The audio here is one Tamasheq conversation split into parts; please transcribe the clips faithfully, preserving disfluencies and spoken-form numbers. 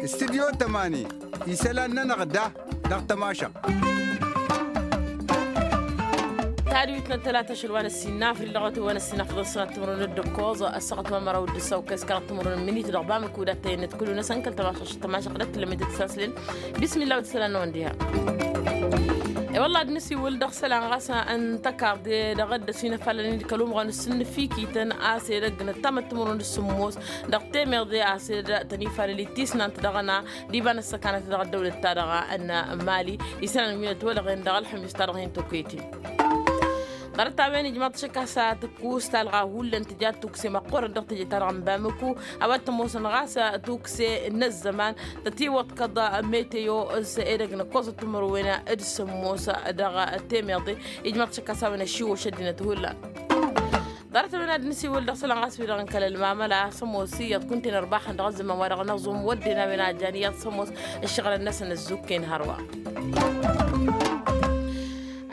Studyo tămani isălan-nănăɣ da dăɣ-tămašăɣt. Tadwit n-ăttălata ašăl wa n-ăssin n-afril dăɣ-wătăn wa n-ăssin afḍăn sănat timărun d-ǝkkoẓ ăssaɣăt wa n-măraw d-ǝssaw kăy s-kăraḍ timărun n-minit dăɣ-bamǝku dat-tăyăn n-ătkǝlu n-asănkăl tămašăɣt tămašăɣt d-ăttălămedăt s-aslen. Bismillah wa t-isălan n-wăn diha. E-wălla ad-nǝsiwǝl dăɣ-isălan ɣas n-tăkarḍe dăɣ-dd-ăsinăfalăn-dd kăl-umɣan s-sǝnnǝfikităn a-s edăgg n-ăttamăt timărun d-sǝmmos dăɣ-temeḍe a-s dd-tăn-ifalăl ittisnant dăɣ-ăna d-iba n-ăssăkanăt dăɣ-ăddăwlăt-ta-dăɣ n-mali. Isălan wi n-ătwălăɣen dăɣ-ălxămis-ta-dăɣ hin-tokăyăt-in. Ḍarăt-a-wen ijmaḍ-t šăkk a-s tǝkkus talɣa hullan tǝja tukse măqqoorăn dăɣ-teje-ta-dăɣ n-bamǝku a-wa t-ămoosăn ɣas tukse n-ăzzăman tătiwăḍkăḍ meteo s-edăgg n-ǝkkoẓăt timǝrwen d-sǝmmos dăɣ-temeḍe. Ijmaḍ-t šăkk a-s a-wen ăššiwwăš ăddinăt hullan. Ḍarăt-a-wen ad-nǝsiwǝl dăɣ-isălan ɣas wi-dăɣ n-kăl-ălmamăla s-ămoos iyyăḍ kunta-en ărbaxăn dăɣ-ăzzăman wa dăɣ-năẓum wădden a-wen a jan iyyăḍ s-ămoos ǝššăɣǝlăn-năsăn ăzzukken hărwa.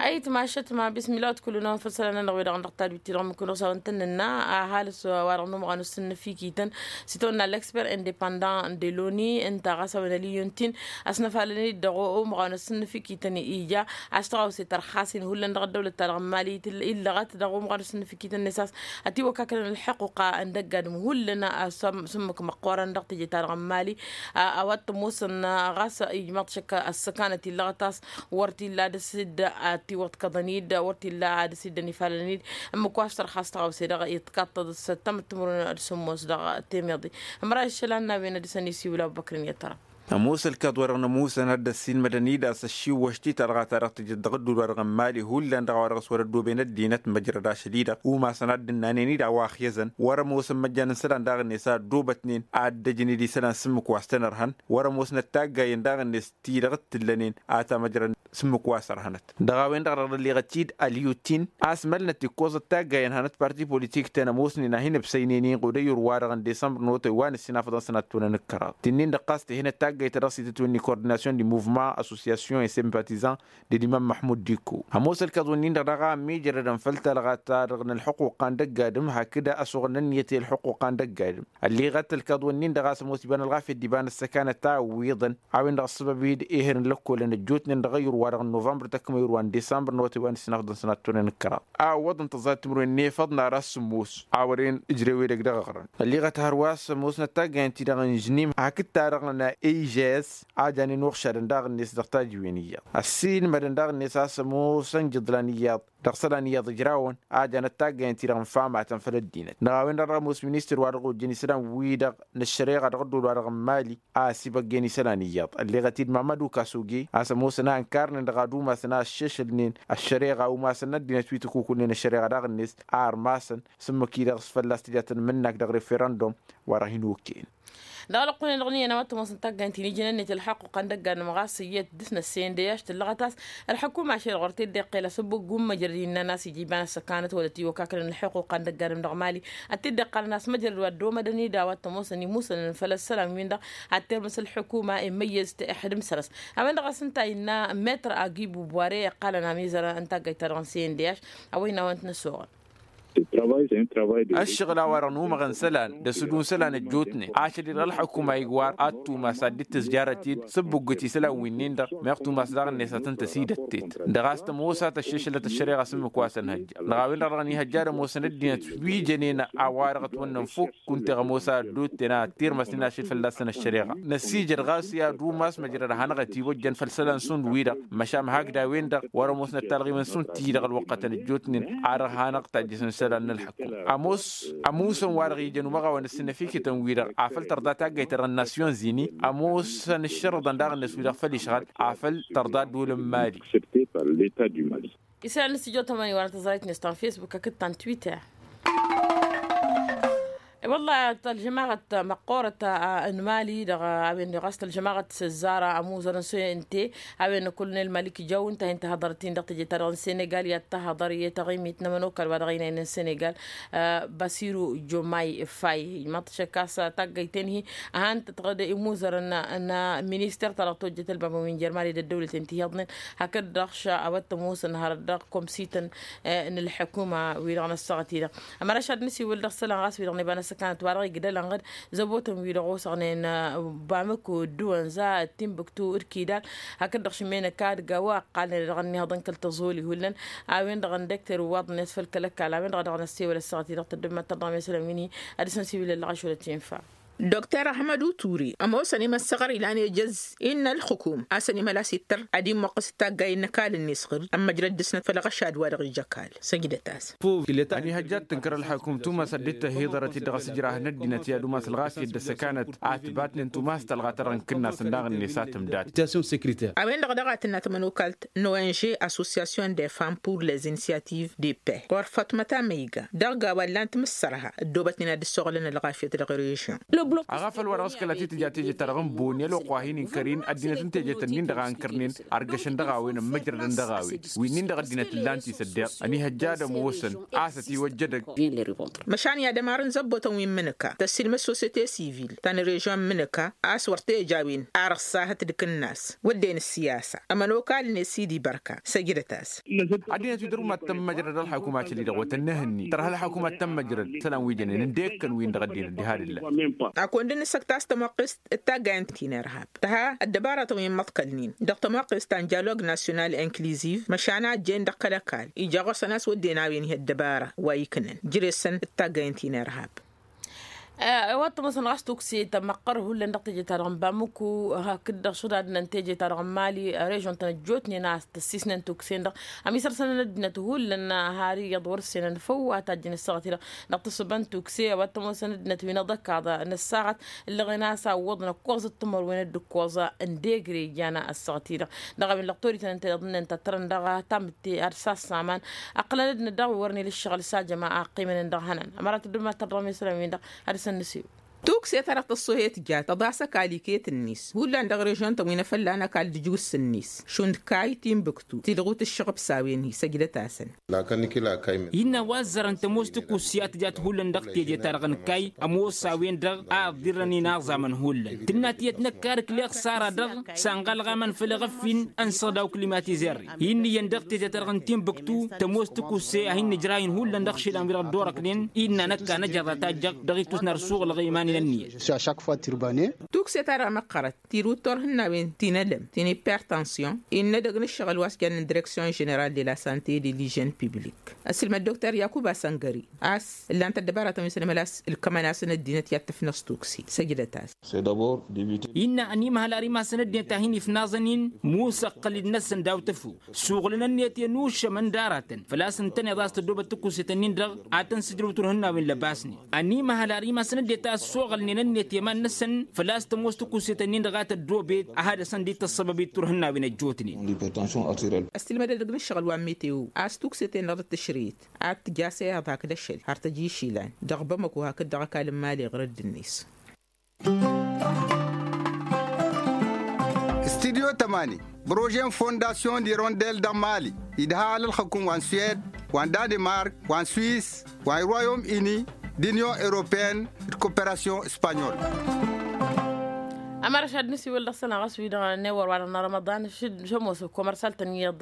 Ayǝtma ašătma bismillah wa t-kullu-năwăn făll-isălan-nănăɣ wi-dăɣ n-dăɣ tadwit-ti-dăɣ mǝkǝn osawăn tăn-nǝnna. Ăhalǝs wa dăɣ-număɣăn s-sǝnnǝfikităn s-itawănna l'expert indépendant de loni ǝnta ɣas a-wen ăliyun-t-in ăsnăfalăn-dd dăɣ-umɣan ăssǝnnǝfikităn ija a-s tăɣawse tărxas-in hullan dăɣ-ăddăwlăt-ta-dăɣ n-mali. Illăɣăt dăɣ-umɣan ăssǝnnǝfikităn-net a-s ătiwăkkakălăn ălḥăqquqa n-dăgg-adǝm hullan s-ǝmmǝk măqqoorăn dăɣ-teje-ta-dăɣ n-mali. A-wa t-ămoosăn ɣas ijmaḍ-t šăkk ăssăkanăt illăɣăt a-s wăr t-illa ad-dăr-s dd-ătiwăḍkăḍăn-dd wăr t-illa ad-dăr-s dd-ănifalăn-dd. Ǝmmǝk wa s-tărxas tăɣawse dăɣ-iḍkaṭṭăḍ s-ăttămăt timǝrwen d-sǝmmos dăɣ-temeḍe. Ămăra iššălan n-a-wen ad-dăr-s ănisiwǝl abubăkr n-iyyăt tăra. Ămoos ălkaḍ-wa-dăɣ n-ămoosăn ad-dd-ăssiilmădăn-dd a-s ăššiwwăš titălɣa ta dăɣ-tǝjǝd dăɣ-ădduul-wa-dăɣ n-mali hullan dăɣ-a-wa dăɣ-s wăr-ăddooben ăddinăt măjrăd ašăl-i-dăɣ umasăn ad-dd-ǝnnanen-dd a-wa ăxyăzăn wăr-ămoosăn măjjan n-isălan daɣ-net a ăddoobătnen ad-dd-ăjnen isălan s-ǝmmǝk wa s-tăn-ărhăn. Wăr-ămoosnăt taggay-en daɣ-net ti-dăɣ t-ǝllănen a tamăjrăn s-ǝmmǝk wa s-ărhănăt dăɣ-a-wen-dăɣ dăɣ-dd-ălliɣăt-dd ălyutin a-s mălnăt ikkoẓăt taggay ănhănăt parti politik-ten ămoosnen a hin-ǝbsăynăynen ɣud ăyyur-wa-dăɣ n-disămbăr n-otay wa n-ǝssin afăḍăn sănat tunăn ǝkkăraḍ tǝnnin-dăɣ ɣas tǝhenăt taggayt ta dăɣ-s itǝtwǝnni coordinasyon di muvman associasyon et sympatizan d-edimam măḥmud dikko. Ămoos ălkaḍ-wǝnnin-dăɣ daɣ a ămmiijrădăn făll-talɣa-ta-dăɣ n-ălḥuqquq a n-dăgg-adǝm hakd asuɣǝl n-ǝnniyăt i-ălḥuqquq a n-dăgg-adǝm. Ălliɣăt ălkaḍ-wǝnnin-dăɣ a-s ămoos iba n-ălɣafyăt d-iba n-ăssăkanăt a ǝwwiḍăn a-wen-dăɣ ăssăbăb-dd ehăr n-lăkkolăn ăjjootnen dăɣ-ăyyur-wa-dăɣ n-novămbăr tăkmăyur wa n-disămbăr n-otay wa n-ǝssin afḍăn sănat tunăn ǝkkăraḍ a ǝwwăḍăn tăẓẓayăt timǝrwen n-efăḍ n-ara s-sǝmmos. A wăren ǝjrew edăgg dăɣ-eɣrăn ălliɣăt hărwa s-ămoosnăt taggayăn-ti-dăɣ n-žnim hakd-ta-dăɣ n-a ejs a janen uɣšadăn daɣ-net dăɣ-tajiwen iyyăḍ ăssiilmădăn daɣ-net a-s ămoosăn jǝḍlan iyyăḍ dăɣ-isălan iyyăḍ ǝjrawăn a janăt taggayăn-ti-dăɣ n-famatăn făll-ăddinăt dăɣ-a-wen-dăɣ dăɣ-ămoos ministăr wa dăɣ-ojjăn isălan-wi-dăɣ n-ăššăreɣa dăɣ-ădduul-wa-dăɣ n-mali a ăsibăggen isălan iyyăḍ ălleɣăt-dd mamădu kasuge a-s ămoosăn a ǝnkarnen dăɣ-ad-umasăn a ăššešălnen ăššăreɣa umasăn n-ăddinăt wi tăkukulnen ăššăreɣa daɣ-net a ărmasăn s-ǝmmǝk-i-dăɣ s-fălla-s tǝjatăn mǝnnak dăɣ-referăndum wa dăɣ-hin-okăyăn. Dăɣ-lăqqonen dăɣ-niyyăn a-wa t-ămoosăn taggayăn-ti n-ijnănnet ălḥăqquqa n-dăgg-adǝm ɣas iyyăt dăr-s n-ăsseyăn d-eyaš tǝllăɣăt a-s ălḥukuma ašăl ɣur-t dd-iqqel asǝbbuggum măjrăd innăn a-s ija iba n-ăssăkanăt wăla tiwăkkakălăn ălḥuquqa n-dăgg-adǝm dăɣ-mali. Ad-t-dd-iqqalăn a-s măjrăd wa ăddoomădăn-dd a-wa t-ămoosăn imusănăn făll-ăssălam-win-dăɣ ad-tirmǝs ălḥukuma immăyyăz tihǝdǝm săr-s. A-wen-dăɣ a-s ǝnta a innă metr agibu bware iqqalăn amizărăn n-taggayt-ta-dăɣ n-seyăn d-eyaš. A-wa innă a-wa n-t-năsoɣăl. Ăššăɣǝl a-wa-dăɣ n-umăɣăn isălan d-asǝdun isălan ăjjootnen ašăl-i-dăɣ ălḥukuma iwar ad-tumas ad-dd-tǝzjarăt-dd s-ǝbbuggǝt isălan winnin-dăɣ meɣ tumas daɣ-net ad-tăn-tăsidăttet dăɣ-a-s tămoos a tăššešălăt ăššăreɣa s-ǝmmǝk wa s-ănhăjja. Dăɣ-a-wen-dăɣ dăɣ-nihăjja ad-ămoosăn ăddinăt wi jănen a-wa-dăɣ ătwănnăn fukk kunta iɣămoos a ăddotten ad-tirmăsnen ašăl fălla-săn ăššăreɣa. Năsijăd ɣas i-ad-umas măjrăd ad-hanăɣ-ătiwăjjăn făll-isălan šund-wi-dăɣ măšan hakd a-wen-dăɣ wăr-ămoosnăt talɣimăn šund ti-dăɣ ălwăqqătăn ăjjootnen a dăɣ-hanăɣ-tajjăsăn isălan n-ălḥăkkum. Ămoos ămusăn wa-dăɣ ijăn umăɣawăn ăssinăfikităn-wi-dăɣ afăl tărḍa taggayt-ta-dăɣ n-nasyon zini ămoosăn ǝššărǝḍăn daɣ-net wi-dăɣ făll-išɣăl afăl tărḍa ădduul n-mali. Isălan n-stujo tămani wa n-tăẓrayt-net ta n-facebook hakd ta n-twitter. Wălla tălžămaɣăt măqqoorăt n-mali dăɣ-a-wen ɣas tălžămaɣăt s-ăzzară ămuzăr n-soyente a-wen n-kolonel malik jaw ǝnta a hin-tăhăḍărăt-in dăɣ-teje-ta-dăɣ n-senegal i-ad-tăhăḍăr i-taɣimit n-ămănokal wa dăɣ-ăynayăn n-senegal. Basiru jomay fay imaḍ šăkkas taggăyten-hi a han-tătɣăd imuzărăn n-minister-ta-dăɣ tojjăt ălbabăn wi n-jer-mali d-ăddăwlăten ti hi-iyyăḍnen hakd-dăɣ š-a-wa t-ămoosăn hărăt dăɣ-komsităn n-ălḥukuma-wi-dăɣ n-ăssaɣăt-i-dăɣ. Ămăraš ad-nǝsiwǝl dăɣ-isălan ɣas wi-dăɣ n-iba n-ăssăkanăt wa dăɣ-igdălăn ɣǝd zăbotăn wi-dăɣ osăɣnen bamăko d-duwănza d-timbuktu d-kidal hakd-dăɣ šǝmmenăk ad-gawa ăqqalnen dăɣ-ănnihăḍ n-kăl-tăẓoli hullan a-wen-dăɣ n-dăkter ǝwwaḍnen s-făll-kăl-ăkall a-wen-dăɣ a dăɣ-năssewăl ăssaɣăt-i-dăɣ tăddăbmăt tăḍrăm i-isălan wi n-hi ad-dăɣ-săn siwǝl ăllăɣ ašwălăt infa. Dokter ahmăd uturi ămoosăn imăssăɣăr ilan ejăz innă ălxukum a-s ănimălas ittăr ad-immăqqǝs d-taggay n-ăkall-net ɣǝr ămmăjrăd dăɣ-snăt făll-aɣăšad wa dăɣ-ija ăkall. Săjdăt-as. Ăniihăjja ad-tǝnkăr ălxukum tumas ad-dd-tăhhiḍărăt i-dd dăɣ-asǝjrah n-ăddinăt i-ad-umas ălɣas i-dd-ăssăkanăt a ătbatnen tumas talɣa ta dăɣ-n kǝnnas n-daɣ-net a tǝmdat. A-wen-dăɣ daɣ a tǝnna tamănokalt n-ong association de femmes pour les initiatives de paix ɣur-făṭmăt amăyga dăɣ-gawa ǝllan timǝssărha ăddoobătnen ad-dd-ăssoɣlăn ălɣafyăt dăɣ-režion. Aɣafăl wa dăɣ-s kăla titǝja teje-ta-dăɣ n-boni ălwăqq wa hin-inkăr-in ăddinăt n-teje-tăn-in-dăɣ a ǝnkărnen ărgăšăn dăɣ-a-wen ămmăjrădăn dăɣ-a-wen wi-nin-dăɣ ăddinăt ǝllan-t isăddeɣ. Ăniihăjja ad-ămoosăn a-s ătiwăjjădăg. Măšan i-ad-ămarăn zăbbotăn wi n-imǝnǝka tăssilmăd sosete sivil ta n-režion n-imǝnǝka a-s wăr teja a-wen ar ăṣṣahăt d-kǝnnas wădden ăssiyasa ămănokal-net sidi bărka săjdăt-as. Ăddinăt wi dăr-umad tămmăjrăd ălxukum a căli-dăɣ wăt ănnihănni tărha ălxukum ad-tămmăjrăd isălan wi jănen ǝndek-kăn-win-dăɣ ăddinăt diha d-ǝllan. Akăwăn dd-nǝssăk ta s-tămoqqest d-taggayăn ti n-irhab tăha ăddăbaratăn wi n-imăḍkălnen dăɣ-tămoqqest ta n-dialog nasyonal inkliziv măšan a ăjjeen dăɣ-kăl-ăkall ija ɣur-săn a-s wădden a-wen hi-ăddăbara wa iknăn jere-săn d-taggayăn ti n-irhab. Wa t-ămoosăn ɣas tukse tămăqqăr hullan dăɣ-teje-ta-dăɣ n-bamǝku hakd-dăɣ šădadnăn teje-ta-dăɣ n-mali režion-tăn ăjjootnen a-s tăssisnen tukse-en-dăɣ ămisărsănăn ăddinăt hullan har iyyăḍ wăr-senăn făw a tajjăn ăssaɣăt-i-dăɣ dăɣ-tǝssǝba n-tukse a-wa t-ămoosăn ăddinăt wi n-aḍăkkaḍ n-ăssaɣăt ǝllăɣen a-s a ǝwwăḍnăk kuẓăt timărwen d-ǝkkoẓa n-degre ijan ăssaɣăt-i-dăɣ dăɣ-a-wen lăɣ torităn ǝnta iyyăḍ ǝnnan tăttărăn dăɣ-tamǝtte ad-sassaman ăqqălăn ăddinăt daɣ wi wărăn ila ǝššăɣǝl s-ajăma a ăqqimănen dăɣ-ihănan ămărat ăddumma tărrăm isălan-win-dăɣ ad-dăr-săn nǝsiwǝl. Tukse-ta-dăɣ tăṣṣohet jat tăḍa s-ăkall iket-net hullan dăɣ-režion-tăn wi n-afălla n-ăkall d-ǝjwǝs-net šund kayy tinbǝktu tidɣut ǝššăɣb s-a-wen-hi săjdăt-asăn. Innă a-wa ăzzărăn tămoos tikusse a tǝjat hullan dăɣ-teje-ta-dăɣ n-kayy ămoos a-wen-dăɣ a ǝḍḍirrăn inaẓamăn hullan tǝnna tiyyăt năkk ar ǝkleɣ s-ara-dăɣ s-anɣalɣamăn făll-eɣăf-in ănsăɣ daw-klimatizer-i hin-iyyăn dăɣ-teje-ta-dăɣ n-tinbǝktu tămoos tikusse a hin-nǝjrayăn hullan dăɣ-išilan wi dăɣ-dd-orăknen innă năkk a năjăr d-atajjăɣ dăɣ-itwǝsna ar suɣǝlăɣ i-iman-in ǝnniyăt. Tukse-ta-dăɣ măqqărăt tirǝw d-turhǝnnawen ti n-elăm ti n-ipertansyon innă edăgg n-ǝššăɣǝl wa s-jannen direksyon ženeral de la sante de lijen piblik ăssilmăd dokter yakuba săngări a-s ǝllan-t ăddăbaratăn wi s-ănămălas ǝlkămăn-asăn ăddinăt i-ad-tǝfnăẓ tukse săjdăt-as. Innă ănimăhăl ar imasăn ăddinăt a hin-ifnaẓăn-in musăqqăl-dd-năsăn daw-tăfo suɣǝlăn ǝnniyăt i-ănuššăm ăndaratăn făl-a-s ǝntăneḍ a-s tăddoobăt tikusetăn-in-dăɣ ad-tăn-sǝjrǝw turhǝnnawen lăbasnen ănimăhăl ar imasăn ăddinăt a ăssoɣălnen ǝnniyăt i-iman-năsăn făl-a-s tămoos tikusetăn-in-dăɣ a tăddoobet a had-dăɣ-săn dd-tăssăbăbit turhǝnnawen ăjjootnen. Ăssilmădăd dăgg-inǝššăɣǝl wa n-meteo a-s tukseten-dăɣ d-tǝšrǝyet ad-tǝj a-s iyyăḍ hakd ašăl har tăj išilan dăɣ-bamăko hakd dăɣ-ăkall n-mali ɣur-dd-net. Studyo tămani prože n-fondasyon d-irondel dăɣ-mali idha alălxăkum wa n-suwed wa n-danemark wa n-swis wa n-royom ini d-inyon europeen d-koperasyon spanyol. Ămăra šad nǝsiwǝl dăɣ-sănăɣ ăswidăɣ n-ewăr wa dăɣ-nărămăḍan šămoosăk komărsal-tăn iyyăḍ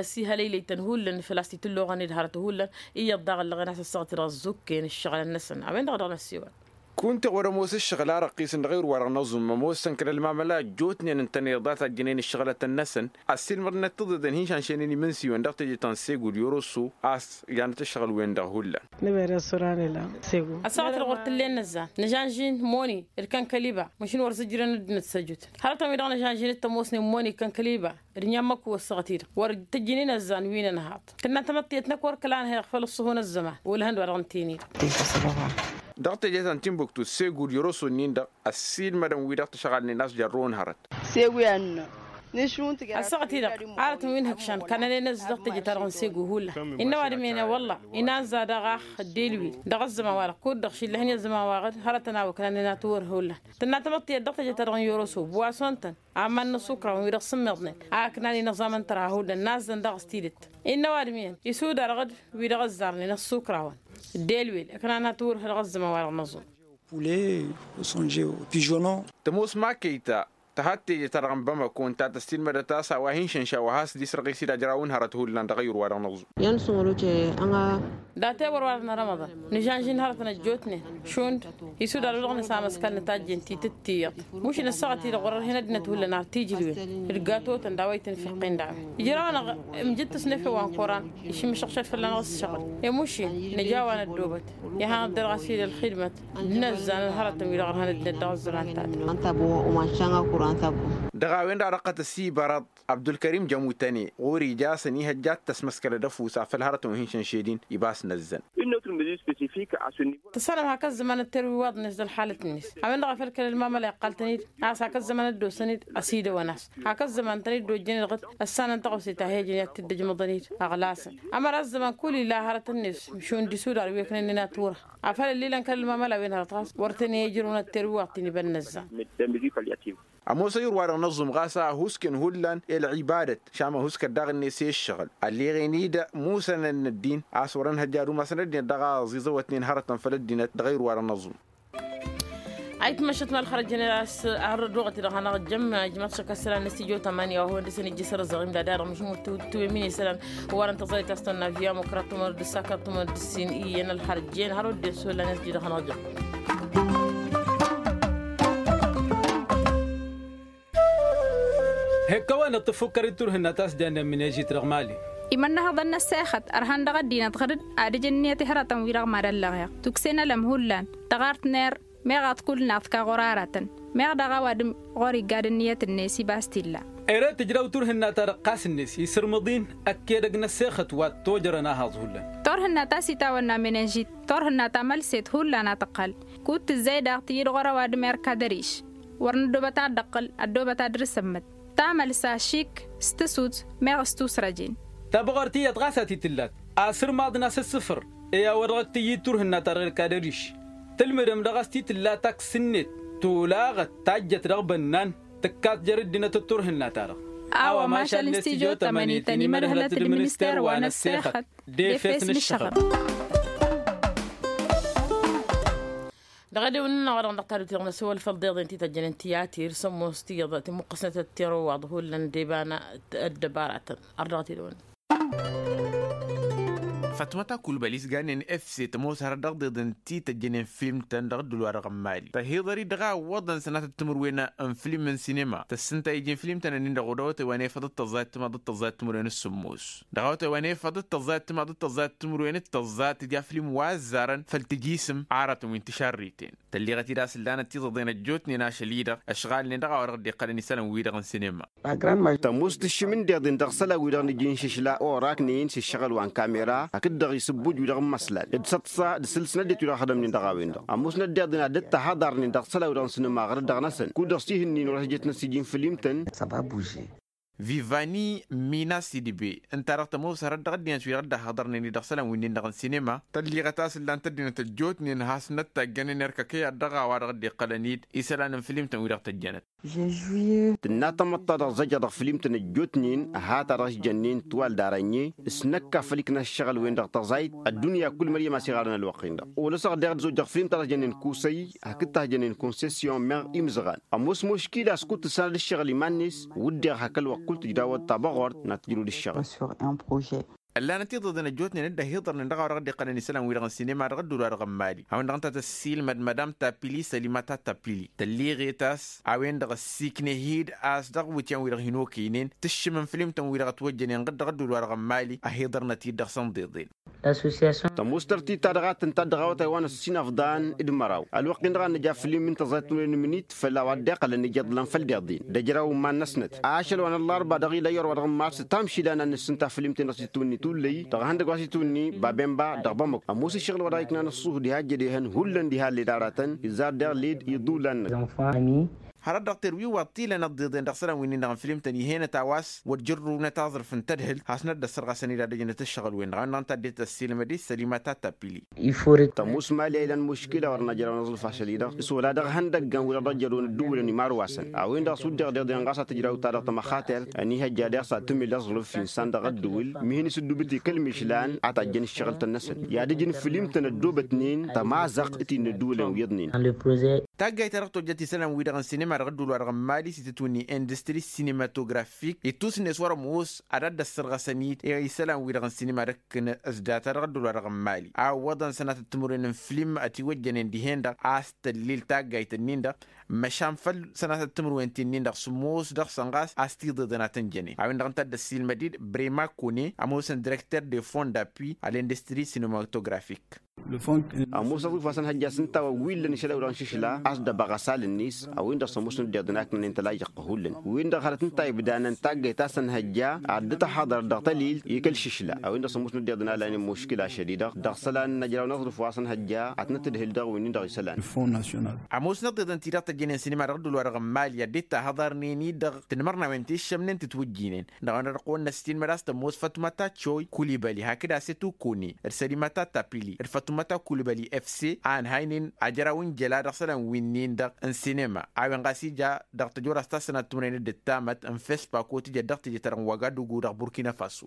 s-ihălăylăy-tăn hullan făl-a-s titǝlloɣăn-dd hărăt hullan iyyăḍ daɣ ǝllăɣen a-s ăssaɣăt-i-dăɣ ăzzukken ǝššăɣǝlăn-năsăn a-wen-dăɣ dăɣ-năssiwăl. Kunta wăr-ămoos ǝššăɣǝl a răqqisăn dăɣ-ewăr wa dăɣ-năẓum ămoosăn kăl-ălmamăla ăjjootnen ǝntăneḍ a tajjǝnen ǝššăɣǝlătăn-năsăn ăssiilmăḍnăt tiḍeḍen hin-šanšăynen imǝnsiwăn dăɣ-teje ta n-segu d-yoroso a-s janăt ǝššăɣǝl-wen-dăɣ hullan. Ăssaɣăt-dăɣ wăr t-ǝllen nǝzzan nǝžanžin moni d-kănkăliba măšin wăr zǝjrăn ăddinăt s-ăjutăn hărătăn-wi-dăɣ nǝžanžin d-tămoosnen moni d-kănkăliba d-inyamăk wăssăɣăt-i-dăɣ wăr tăjjǝn inăzzan wi n-ănhaḍ tǝnna tamăḍtiyăt-năk wăr kăla nǝheɣ făll-ǝṣṣuhu n-ăzzăman wăl-hăn-wa-dăɣ n-teni-dăɣ. Dăɣ-teje ta n-tinbuktu segu d-yoroso-nin-dăɣ ăssiilmădăn wi-dăɣ tǝšɣalnen a-s jărrăwăn hărăt. Segu i-ad-nǝnnă Ăssaɣăt-i-dăɣ arătăn wi n-ihǝkšan kănănen ăzzăɣ tejăt-ta-dăɣ n-segu hullan. Innă ăwadǝm-en i-wălla inanza dăɣ-ax ăddelwil dăɣ-ăzzăman-wa-dăɣ kud-dăɣ šillăhăn i-ăzzăman-wa-dăɣ hărătăn a-wa kănănen a tǝwwăr hullan. Tǝnna tamăḍt tiyyăt dăɣ-tejăt-ta-dăɣ n-yoroso buwason-tăn aman n-ăṣṣukra-wăn wi-dăɣ sǝmmiḍnen a ǝknan-in ăẓaman tăra hullan nazzăn dăɣ-s tidǝt. Innă ăwadǝm-en isudar ɣǝd wi-dăɣ ăzzarnen ăṣṣukra-wăn ăddelwil ǝknan a tǝwwăr dăɣ-ăzzăman-wa-dăɣ n-ăẓẓum. Poulet, songe, pigeonnon. Tămoos makăyta tăhăttejăt-ta-dăɣ n-bamako ǝnta tăssilmădăt a-s a-wa hin-šănša wa has-dd-isrăɣ i-s-dd ajrawăn hărăt hullan dăɣ-ayǝr-wa-dăɣ n-ăẓẓum. Iyyăn sǝmălotăy ănɣa. Datewăr-wa-dăɣ n-rămăḍan nǝžănžin hărătăn ăjjootnen šund isudar wi-dăɣ nǝsamăskal nǝtajjen titǝttiyyăḍ mušǝn ăssaɣăt-i-dăɣ wăr-ărhen ăddinăt hullan ar tijǝlwen d-gatotăn d-a-wa itǝnfăqqen daɣen ǝjraw-anăɣ. Imjǝt-tăsnefew wa n-koran išǝmmǝšăɣšăd fălla-năɣ ǝsšăɣǝl i-mušin nǝj'-awa năddobăt. Iha năddărɣas-i d-ălxidmăt d-inăzzan n-hărătăn wi-dăɣ ărhăn ăddinăt dăɣ-ăzzăman-ta-dăɣ. Dăɣ-a-wen-dăɣ dăɣ-tăsibărăḍ abdulkărim jămutăne ɣur-ija a-s ănihăjja ad-tăsmăskălăd ăfusa făll-hărătăn wi hin-šănšedin. Ibas năzzăn. Tǝssanăm hak ăzzăman ătterwi iwaḍnen s-ălxalăt-net a-wen-dăɣ a făl kăl-ălmamăla iqqal-tăn-dd a-s hak ăzzăman ăddoosăn-dd ăsidăwăn-as hak ăzzăman-tăn-dd ojjăn-dd ɣǝd ăssanăn taɣose ta he-ǝjăn i-ad-t-dd-ăjmăḍăn-dd. Ăɣlasăn ămăra ăzzăman kull ila hărăt-net šund isudar wi ǝknănnen a tiwǝrha afăl ăllilăn kăl-ălmamăla wi n-hărăt ɣas wăr tăn-e-ǝjrǝwăn ătterwi iwaḍ-t-in iba n-inăzzan. Ămoos ayǝr-wa-dăɣ n-aẓum ɣas a ăhuusken hullan i-ălɣibadăt šam ăhuuskăt daɣ-net i-ǝššăɣǝl ălleɣen-dd musănăn n-ăddin a-s wăr-ănhăjja ad-umasăn ăddinăt dăɣ-a ăẓiẓăwătnen hărătăn făll-ăddinăt dăɣ-ayǝr-wa-dăɣ n-aẓum. Ayǝtmăššăt ma ălxărăt jeneral s-arrăd wăɣăt-i-dăɣ hanăɣ-ǝjjăm ijmaḍ šăkk ăssălan n-studyo tămani wa hawăn-dăɣ-săn ijjǝs răzăɣim d-ad-dăɣ mǝšmut tǝwǝmmin isălan. Wa-dăɣ n-tăẓrăyt a-s tănna via mukra tumăr d-ǝssakăr tumăr d-ǝssin iyyăn ălxărăt jen har wădden s-wăllan i-as-dd-idăɣ hanăɣ-ǝjjăm. Hek-kăwăn-dăɣ tǝfukkăr-dd turhǝnna ta s-jannen mǝnežit dăɣ-mali. Imănnăhăḍăn n-ăssexăt ărhan dăɣ-ăddinăt ɣăr-dd ad-ǝjǝnniyăt i-hărătăn-wi-dăɣ mad-ăllăɣeɣ tukse n-ălăm hullan dăɣ-artner meɣ ad-t-kull-naḍ ka ɣur-aratăn meɣ daɣ ăwadǝm ɣur-igga d-ǝnniyăt-net ibas t-illa. Ere tǝjraw turhǝnna-ta-dăɣ ɣas-net isǝrmǝḍ-in ăkk edăgg n-ăssexăt wa t-tojărăn ahaẓ hullan. Turhǝnna ta s-itawănna mănežit turhǝnna ta mălset hullan a tǝqqăl kud-tǝzzay daɣ tǝyyǝd ɣur-ăwadǝm erk ad-ăriš. Wăr nǝddobăt ad-dd-ăqqǝl ăddobăt ad-dăr-sămmăt tamălsa šik s-tǝsut meɣ s-tusrăjen. Tabăɣort iyyăḍ ɣas a t-tǝllat asǝrmaḍ n-asǝssǝfăr i-a-wa dăɣ-t-tǝyyǝd turhǝnna-ta-dăɣ erk ad-ăriš. Tǝlmǝdăm dăɣ-s t-tǝlla taksǝnnet tolaɣăt tajjăt dăɣ-bănnan tǝkkat jer-ǝddinăt d-turhǝnna-ta-dăɣ. A-wa mašal n-studyo tămăni tăn-imădhǝlăt d-minister wa n-ăssexăt d-efes n-ǝššăɣăb. Dăɣ-edewăn-nănăɣ wa dăɣ-năɣ tadut-i-dăɣ n-asǝwăl făll-deḍen ti tăjjănen tiyatir s-ămoos tiyyăḍ timǝqqǝsnăt d-tirowaḍ hullan d-iba n-ăddăbaratăn. Ărdăɣăt-dd-wăn. Fatmăta kulbăl isgannen efse tămoos hărăt dăɣ-deḍen ti tăjjănen film-tăn dăɣ-dd-ǝlwa-dăɣ n-mali tăhiḍăr-i dăɣ-a ǝwwăḍăn sănatăt timǝrwen n-film n-sinema tăssǝntay iji n-film-tăn-ănnin-dăɣ odăwătăy wa n-efăḍ d-tăẓẓayăt timaḍ d-tăẓẓayăt timǝrwen s-sǝmmos. Dăɣ-awătay wa n-efăḍ d-tăẓẓayăt timaḍ d-tăẓẓayăt timǝrwen d-tăẓẓa tǝja film wa ăzzarăn făll-tǝjisǝm aratăn wi n-tišarriten. Tălleɣăt-dd a-s ǝllanăt tiẓăḍen ăjjootnen ašăl-i-dăɣ ăšɣalnen dăɣ-a-wa dăɣ-dd-iqqălăn isălan-wi-dăɣ n-sinema. Tămoos tǝššǝm n-deḍen dăɣ-isălan-wi-dăɣ nǝjǝnšǝšla oraknen s-ǝššăɣǝl wa n-kamera hakd-dăɣ isǝbbuj-wi-dăɣ n-imăslan d-săḍsa d-sǝlsǝnăt-det-wi-dăɣ ad-hădămnen dăɣ-a-wen-dăɣ ămoosnăt deḍen ad-dd-tăhaḍarnen dăɣ-isălan-wi-dăɣ n-sinema ɣărăt dăɣ-năsăn kud-dăɣ s-ihǝnnin wăr-ăsjătnăt s-iji n-film-tăn. Vivani mina sidbe ǝnta-dăɣ tămoos hărăt dăɣ-ăddinăt wi-dăɣ dd-ăhhăḍărnen-i dăɣ-isălan wi-nin-dăɣ n-sinema. Tălliɣăt a-s ǝllan-t ăddinăt ăjjootnen has-năttagg ănănerkăkăy ad-dăɣ-a-wa dăɣ-dd-iqqălăn-dd isălan n-film-tăn wi-dăɣ tăjjănăt. Tǝnna tamăḍt ta dăɣ-zăjjăɣ dăɣ-film-tăn ăjjootnen ha-ta-dăɣ s-jănnen twal d-arănye s-năkk a făl ikna ǝššăɣǝl-wen-dăɣ tăẓayt. Ăddunya kull măryăm a-s iɣarăn ălwăqq-in-dăɣ olăsăɣ deɣ dd-zojjăɣ film ta dăɣ-s jănnen kusăy hakd ta s-jănnen konsesyon meɣ imzăɣan. Ămoos muškila a-s kud-tǝssanăd ǝššăɣǝl iman-net wǝdden hak ălwăqq kull tǝjdawăt tabăɣort n-ad-tǝjrăwăd ǝššăɣǝl. Ăllanăt iḍăḍen ăjjootnen dd-ăhiḍărnen dăɣ-a-wa dăɣ-dd-iqqălăn isălan-wi-dăɣ n-sinema dăɣ-ăddul wa dăɣ-n mali a-wen-dăɣ ǝnta tăssiilmăd madam tapili sălima ta tapili tălleɣet a-s a-wen-dăɣ ăssiiknehid a-s dăɣ-iwǝtyan-wi-dăɣ hin-okăynen tǝššǝm n-film-tăn-wi-dăɣ ătwăjjănen ɣǝd dăɣ-ăddul wa dăɣ-n mali ăhiḍărnăt-dd dăɣ-săn ḍeḍen. Tămoos tărtit ta dăɣ-ad-tǝnta dd-ăɣawăt a iwanăs s-inăfḍan d-măraw ălwăqq-in dăɣ-ad-nǝja film n-tăẓayt n-unănmǝnit făll-a-wa dd-iqqălăn ija iḍlan făll-deḍen d-ejăraw n-iman-năsnăt ašăl wa n-ăllarba dăɣ-ila i-orwa dăɣ-n mars tamšila n-ad-nǝssǝnta film-ten-dăɣ s-itwǝnni tullăy dăɣ-ihăndăgg wa s-itwǝnni babemba dăɣ-bamăko ămoos ǝššăɣǝl wa dăɣ-iknan ăṣṣuhu diha ăjjed ehăn hullan diha led aratăn izzar deɣ led iḍulan-năk. hărăt dăɣ-terwiwaḍ tilăn ăḍḍeḍen dăɣ-isălan wi-nin-dăɣ n-filimtăn ih'-enăt a-wa s-wăr jărrǝwnăt aẓrǝf n-tadhǝlt hasnăt dd-ăssărɣasăn-dd ad-ăjnăt ǝššăɣǝl-wen-dăɣ a-wen-dăɣ ǝnta a dd-tăssiilmăd-dd sălimat a tappili. Tămoos mali a ilan muškila wăr năjraw n-aẓrǝf ašăl-i-dăɣ s-wăla dăɣ-ihăndăggan wi-dăɣ dd-ăjrăwăn ăddǝwǝlăn imarwasăn a-wen-dăɣ s-wăr dd-iɣdeḍen ɣas ad-tǝjraw ta-dăɣ tămăxatert ănihăjja deɣ s-ad-tǝmǝl aẓrǝf insan dăɣ-ăddǝwǝl. Mihǝn-s ǝddubǝt i-kăl-mišlan a tajjăn ǝššăɣǝl-tăn-năsăn i-ad-ǝjǝn fǝlim-tăn ăddoobătnen tămaẓăɣt t-innă ăddǝwǝlăn wi ǝḍnen. Taggayt ta dăɣ-tojjăt isălan-wi-dăɣ n-sinima dăɣ-ăddul-wa-dăɣ n-mali s-itǝtwǝnni industri sinematografik ittusǝnnes wăr-ămoos ad-dd-ăssărɣăsăn-dd i-isălan-wi-dăɣ n-sinima d-ǝkkǝn s-data dăɣ-ăddul-wa-dăɣ n-mali a ǝwwăḍăn sănatăt timǝrwen n-film ătiwăjjănen dihen-dăɣ a-s tăllil taggayt-ǝnnin-dăɣ măšan făll-sănatăt timǝrwen ti-nin-dăɣ s-ămoos dăɣ-săn ɣas a-s tiḍeḍăn ad-tăn-jănen a-wen-dăɣ ǝnta a dd-ăssiilmăd-dd brema kone ămoosăn direkter de fond d-appui a l'industri sinematografik. Ămoos aẓrǝf wa s-ănhăjja s-ǝnta wa wi ǝllăn išălaw-dăɣ n-išǝšla a-s dăbăɣ asal-net a-wen-dăɣ s-ămoosnăt dd-iḍǝn aknănen tălajăɣ-t hullan wi-dăɣ hărăt ǝnta ibdanan taggayt ta s-ănhăjja ad-dd-tăhhăḍăr dăɣ-tălil i-kăl-išǝšla a-wen-dăɣ s-ămoosnăt dd-iḍǝn a lanen muškila ašăl-i-dăɣ dăɣ-isălan n-ajraw n-aẓrǝf wa s-ănhăjja ad-tănăt-tǝdhǝl dăɣ-wi-nin-dăɣ isălan. Ămoosnăt dd-iḍǝn ti-dăɣ tăjjănen sinima dăɣ-ăddul-wa-dăɣ n-mali ad-dd-tahhăḍarnen-i-dăɣ tinmărnawen ti ǝššămnen tǝtwǝjjinen dăɣ-a-wen-dăɣ ăqqăwăn-năssiilmăd a-s tămoos fătumăta coy kulibăli hakd asetu kone d-sălimăta tapili d-fătumăta kulibăli efse a ănhaynen ajăraw n-jăla dăɣ-isălan wi-nin-dăɣ n-sinema a-wen ɣas ija dăɣ-tăjora s-tasănat timǝrwen d-ǝttamăt n-fespa ko tǝjăt dăɣ-teje-ta-dăɣ n-wagadugu dăɣ-burkina faso.